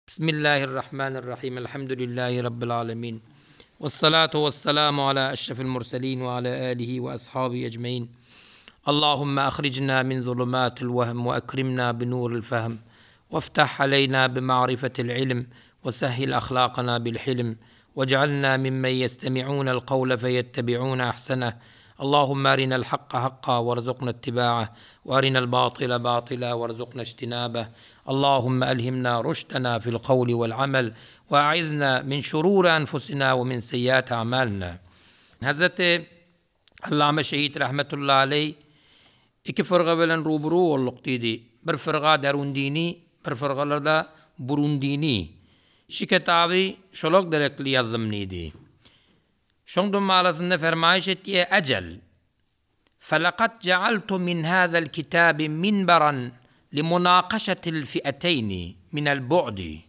Bismillahirrahmanirrahim. Elhamdülillahi Rabbil alemin. Vessalatu vesselamu ala eşrefil murselin ve ala alihi ve ashabihi ecmain. Allahümme ahricna min zulumatil vehm ve ekrimna bi nuril fehm. Veftah aleyna bi ma'rifetil ilm ve sehhil ahlakana bil hilm. Vec'alna mimmen yestemi'unel kavle feyettebi'une ahseneh. Allahümme arinel hakka hakka verzuqna ittiba'eh. Ve arinel batile batila verzuqna ictinabeh. Allahümme elhimna rüşdena fil kavli vel amel ve a'izna min şururi enfusina ve min seyyiati a'malina. Hazreti Allame Şehit rahmetullahi aleyh iki fyrga bilen ruburu bolduk diýdi. Bir fyrga derundini, bir fyrgalarda burundini. Şi kitaby şolar gerekli ýazdym diýdi. Şoň dummalasynda fermaýyş etýär, Ejel, felakad jealtu min hazel kitabi minberan limunakaşetil fi'eteyni minel bu'di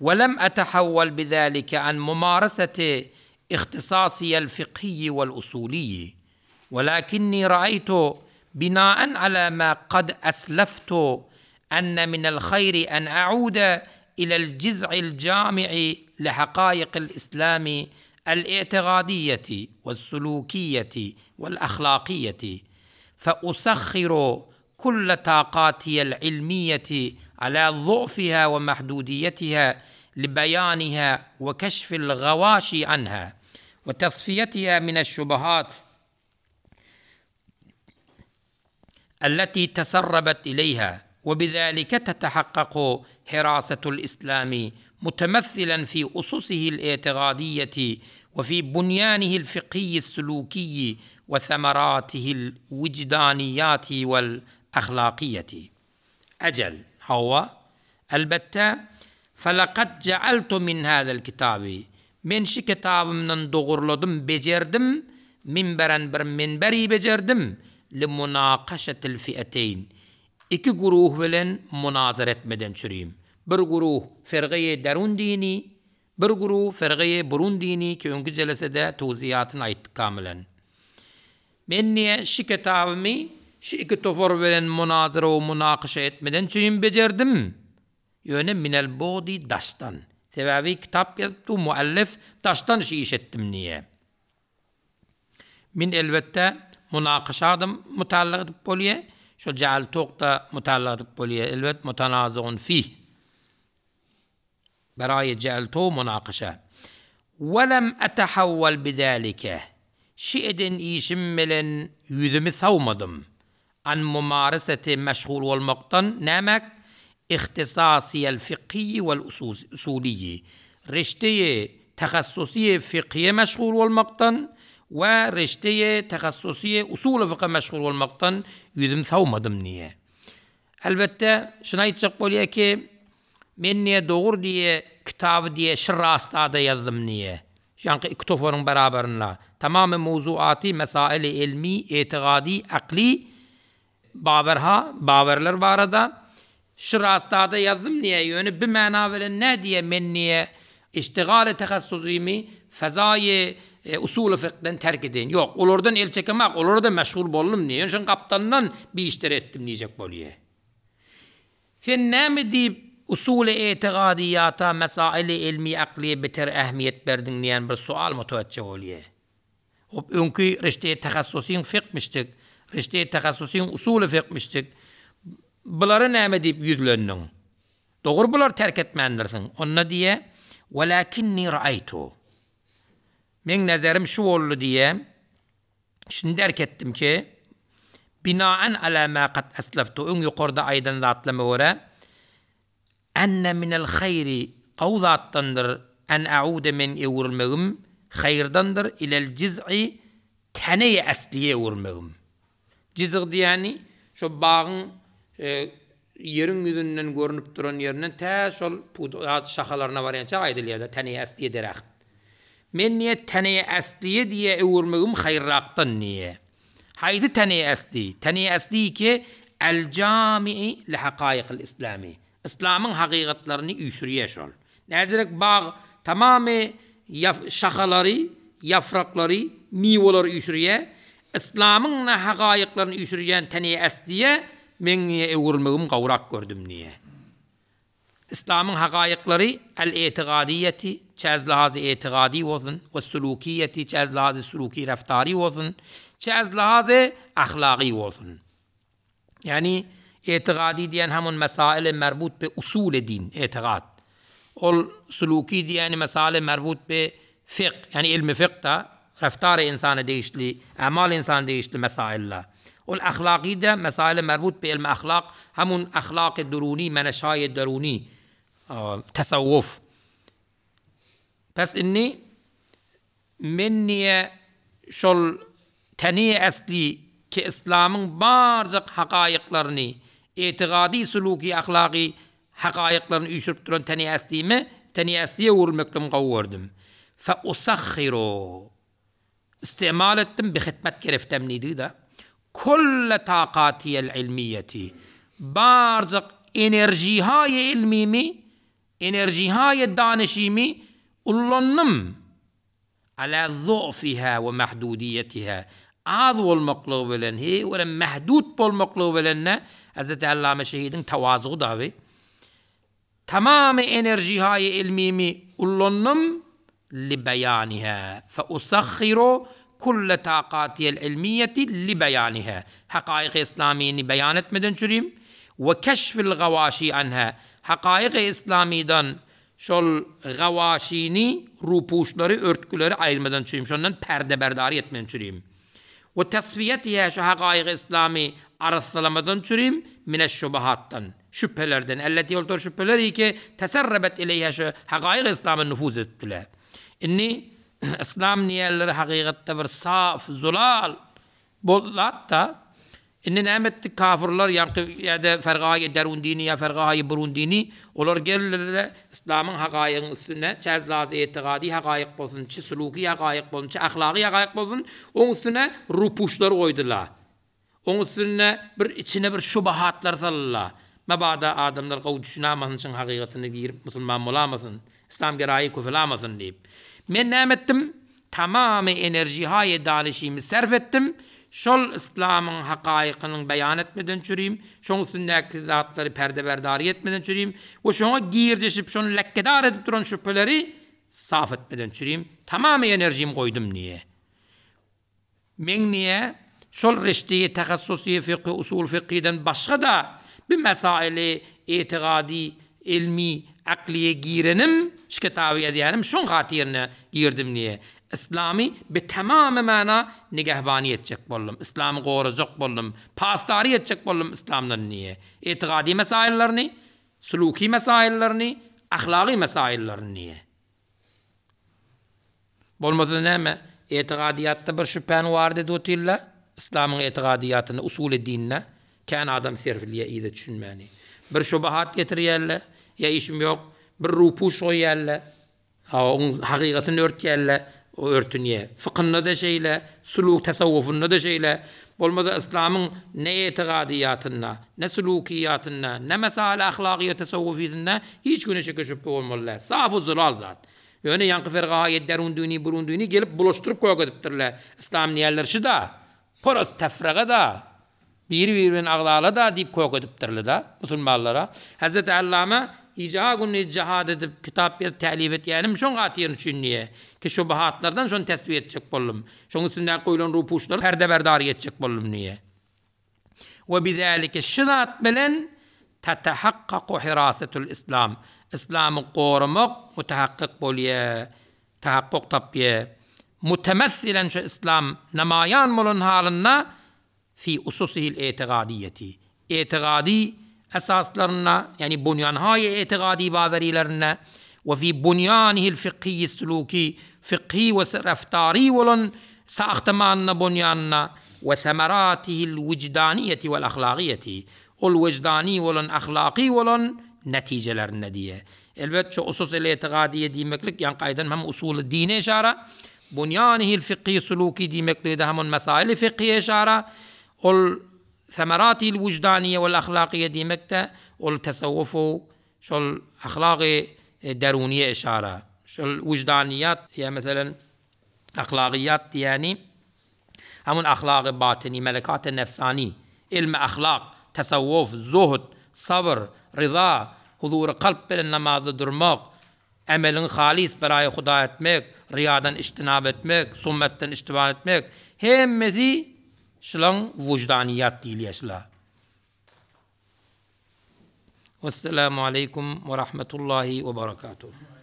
ve lem etehawwel bizalike an mumareseti ihtisasiyel fikhiyyi vel usuliyyi velakinni ra'eytu binaen ala ma kad esleftu enne minel hayri en a'ude ilel ciz'il cami'i lihakaikil islami el-i'tigadiyeti ve's-sulukiyeti vel-ahlakiyeti fe-usahhiru kulle taqatiyel ilmiyeti ala zu'fiha ve mahdudiyetiha libeyaniha ve keşfil gavaşi anha ve tesfiyetiha mineş-şubuhat التي تسربت إليها وبذلك تتحقق حراسة الإسلام متمثلا في أسسه الاعتقادية وفي بنيانه الفقهي السلوكي وثمراته الوجدانيات والأخلاقية. أجل هو البتة فلقد جعلت من هذا الكتاب Men şu kitabymdan dogurladym, bejerdim, minberen bir minberi bejerdim, li munakaşetil fi'eteýn, iki guruh bilen munazara etmeden çürim. Bir guruh fergeýi derun dini, bir guruh fergeýi burun dini ki öňki jelesede towziýatyny aýtdyk kamilen. Men diýe şu kitabymy şu iki topar bilen munazara we munakaşa etmeden çürim bejerdim. Ýöne minel bugdi daşdan. Sebäbi kitap ýazypdy muallif daşdan şu iş etdim diýe. Min elbetde munakaşada mutaallyk edip bolýa, şo jaal-tok-da mutaallyk edip bolýa, elbet mutanaziun fih. Beraýy jaal-to munakaşa. Welem etehawwel bizalike. Şi eden işim bilen ýüzümi sawmadym. An mumareseti meşgul bolmakdan nämek? Ihtisasiyel fikhiyi vel usuliyi, reşteyi tehassusiyi fikhiye meşgul bolmakdan we reşteyi tehassusiyi usuly fykha meşgul bolmakdan ýüzüm sawmadym diýýär. Elbetde, şuny aýtjak bolýar ki, men diýýär, dogry diýýär, kitaby diýýär, şy rastada ýazdym diýýär. Ýaňky iki toparyň beraberinde tamamy mowzuaty, mesaili ilmi, etigady, akly bawerha, bawerler barada şu rastada ýazdym diýýär, ýöne bi mana bilen nä diýýär, men diýýär, iştigaly tehassusymy fezaýy usuly fykdan terk edeýin. Ýok, olardan el çekemak, olara-da meşgul boldum diýýär, ýöne şoň gapdalyndan bi işleri etdim diýjek bolýar. Sen näme diýip usuly etigadyýata, mesaili ilmi aklyýe beter ähmiýet berdiň diýen bir sual mutawetjeh bolýar. Hop öňki reşteýi tehassusyň fikmişdik, reşteýi tehassusyň usuly fikmişdik. Bulara näme diýip ýüzlendiň? Dogry bulary terk etmändirsiň. Onda diýýär, Welakinni raýtu. Meň nezerim şu boldy diýýär. Şuny derk etdim ki, binaen ala ma kad esleftu, öň ýokarda aýdan zatlama görä, enne minel haýri, gowy zatdandyr, en a'ude meň öwrülmegim, haýyrdandyr, ilel jiz'i, teneýi esliýe öwrülmegim. Jizg diýýäni, şo bagyň ýeriň ýüzünden görnüp duran ýerinden tä şol pudak şahalaryna barýança aýdylýar-da, teneýi esliýe dereht. Men diýýär, teneýi esliýe diýýär öwürmegim haýyrrakdan diýýär. Haýsy teneýi esli? Teneýi esli ki, el-jami'i li hakaýykyl islami. Yslamyň hakykatlaryny üýşürýär şol. Näzirek bag tamamy şahalary, ýafraklary, miwalary üýşürýär. Yslamyň na hagaýyklaryny üýşürýän teneýi esliýe meň niýe öwrülmegim gowrak gördüm niýe. Yslamyň hakaýyklary el-etigadyýeti, çe ez lihazy etigady bolsun, we sulukiýeti, çe ez lihazy suluki raftary bolsun, çe ez lihazy ahlagy bolsun. Ýagny etigady diýen hamun mesaili merbut bi usuly din, etigat. Ol suluki diýeni mesaili merbut bi fik, ýagny ilmi fikda, raftary ynsana degişli, amal ynsana degişli mesailler. Ol ahlagy-da mesaili merbut bi ilmi ahlak, hamun ahlaky duruni, meneşaýy deruni, tasawwuf. Pes indi Men niýe şol teni esli ki yslamyň barjak hakaýyklaryny, etigady suluki ahlagy hakaýyklaryny üýşürip duran teni eslime, teni esliýe öwrülmekligimi gowy gördüm. Fe usahhiru, istimal etdim, bi hitmet gereftem diýdigi-de, kulle takatiyel ilmiýeti, barjak enerjihaýy ilmimi Enerjihaýe danyşymy ullandym. Ala zu'fiha we mahdudiýetiha, az bolmaklygy bilen, heý-görem mähdut bolmaklygy bilen-de, Hezreti Allame Şehidiň tawazugy daby. Tamamy enerjihaýe ilmimi ullandym, li beýaniha, fe usahhiru kulle taqatiyel ilmiýeti li beýaniha, hakaýyky yslamyny beýan etmeden çürim, we keşfil gawaşi anha, hakaýyky yslamydan şol gawaşyny, rupuşlary, örtgüleri aýyrmadan çürim, şondan perdeberdary etmeden çürim. We tesfiýetiha, şu hakaýyky yslamy arassalamadan çürim, mineş-şubuhatdan, şübhelerden, elleti ol tor şübheler ki, teserrebet ileýha, şu hakaýyky yslama nufuz edipdiler. Indi Yslam diýýänleri hakykatda bir saf, zulal bol zat-da. Indi näme etdi kafyrlar, ýaňky ýa-da fergaýy derun dini ýa fergaýy burun dini, olar geldiler-de yslamyň hakaýygyň üstüne, çäzlaz etigady hakaýyk bolsun, çi suluky hakaýyk bolsun, çi ahlagy hakaýyk bolsun, oň üstüne rupuşlar goýdular. Oň üstünde bir içine bir şubahatlar salynla. Mabada adamlar gowy düşünamasyn çyn hakykatyna girip musulman bolamasyn, yslam geraýy köpelamasyn diýip. Men näme etdim? Tamamy enerjihaýy danyşymy sarf etdim, şol yslamyň hakaýykynyň beýan etmeden çürim, şoň üstündäki zatlary perdeberdary etmeden çürim we şoňa girjeşip şony lekkedar edip duran şübheleri saf etmeden çürim, tamamy enerjimi goýdum diýe. Meň niýe şol reşteýi tehassusy fykhy usul fykhydan başga-da bi mesaili etigady, ilmi, aklyýe girenim, şu kitaby ýazýanym şoň hatyryna girdim niýe. Yslamy bi tamamy mana nigehbany etjek boldum, yslamy gorajak boldum, pasdary etjek boldum yslamdan niýe. Etigady mesaillerini, suluky mesaillerini, ahlagy mesaillerini niýe. Bolmasa näme, etigadyýatda bir şübhäni warid edip otyrlar, yslamyň etigadyýatynda, usuly dinde kän adam serpilýär yza düşünmäni. Bir şubahat getirýärler, ýa işim ýok, bir rupuş goýýarlar, hawa oň hakykatyny örtýärler, o örtünýär. Fykynda-da şeýle, suluk tasawwufynda-da şeýle. Bolmasa yslamyň ne etigadyýatynda, ne sulukiýatynda, ne mesail ahlagyýa tasawwufysynda hiç güne şeke-şübhe bolmaly däl. Saf-u zulal zat. Ýöne ýaňky fergaýy derun-düni, burun-düni gelip bulaşdyryp kök edipdirler. Yslam diýýärler şy-da, poros tefrega-da, biri-biri bilen agzala-da diýip kök edipdirler-da musulmanlara. Hezreti Allama gije-gündiz jihad edip, kitap ýazyp, tälim etýänim şoň hatyryny üçin diýýär. Ki şubuhatlardan şony tesbiýe etjek boldum. Şoň üstündäki goýlan rupuşlary perdeberdar etjek boldum diýýär. We bizalike şu zat bilen tetehakkaku hirasetul islam, yslamy goramak mutahakkyk bolýar, tahakkuk tapýar. Mutemessilen şu yslam namaýan bolan halynda fi ususihil etigadyýeti, etigady esaslarynda, ýagny bunýanhaýy etigady bawerilerinde, we fi bunýanihil fykhiýi suluki, fykhy we reftary bolan sahtymanynda bunýanynda, we semeratihil wijdaniýeti wel ahlagyýeti, ol wijdany bolan ahlaky bolan netijelerinde diýýär. Elbet, şu usus-el etigadyýe diýmeklik, ýaňky aýdanym hem usuly dine yşara, bunýanihil fykhy suluki diýmekligi-de hem ol mesaili fykhyýe yşara, ol Semeratil wijdaniýe wel ahlakyýe diýmek-de, ol tesawwufu şol ahlagy deruniýe yşara. Şol wijdaniýat ýa meselem ahlagyýat diýýäni hamun ahlagy batyny, melekaty nefsani, ilmi ahlak, tesawwuf, zuhd, sabr, ryza, Huzury kalp bilen namazda durmak, emeliňi halys beraýy Huda etmek, ryýadan içtinap etmek, summetden içtiban etmek, hemmesi şulaň wujdaniýat diýilýär şula. Wesselamu aleýkum we rahmetullahi we barakatuh.